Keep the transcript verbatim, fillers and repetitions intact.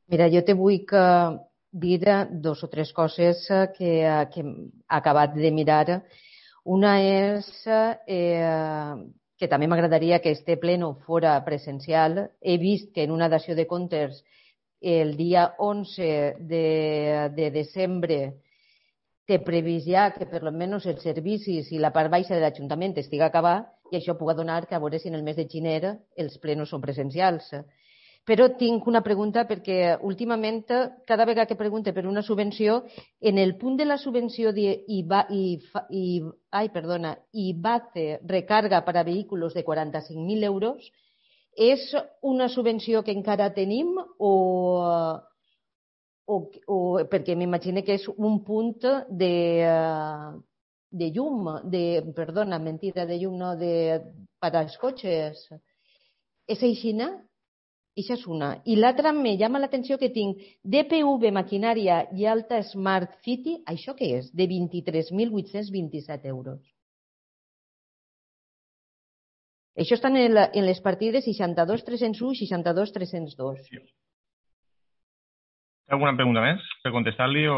Mira, jo te vull que dir dos o tres coses que, que he acabat de mirar. Una és eh, que també m'agradaria que este pleno fora presencial. He vist que en una dació de comptes el dia onze de, de desembre té previst ja que per almenys els servicis i la part baixa de l'Ajuntament estigui acabat i això pugui donar que a veure si en el mes de gener els plenos són presencials. Però tinc una pregunta perquè últimament, cada vegada que pregunte per una subvenció, en el punt de la subvenció de IVA, i, i, ai, perdona, IVACE recarga per a vehicles de quaranta-cinc mil euros, és una subvenció que encara tenim o, o, o perquè m'imagino que és un punt de, de llum, de, perdona, mentida, de llum, no, de, per als cotxes. És així, no? Això és una. I l'altra me llama l'atenció que tinc D P V Maquinària i Alta Smart City, això què és? De vint-i-tres mil vuit-cents vint-i-set euros. Això està en, el, en les partides seixanta-dos tres-cents u i seixanta-dos tres-cents dos. Alguna pregunta més per contestar-li o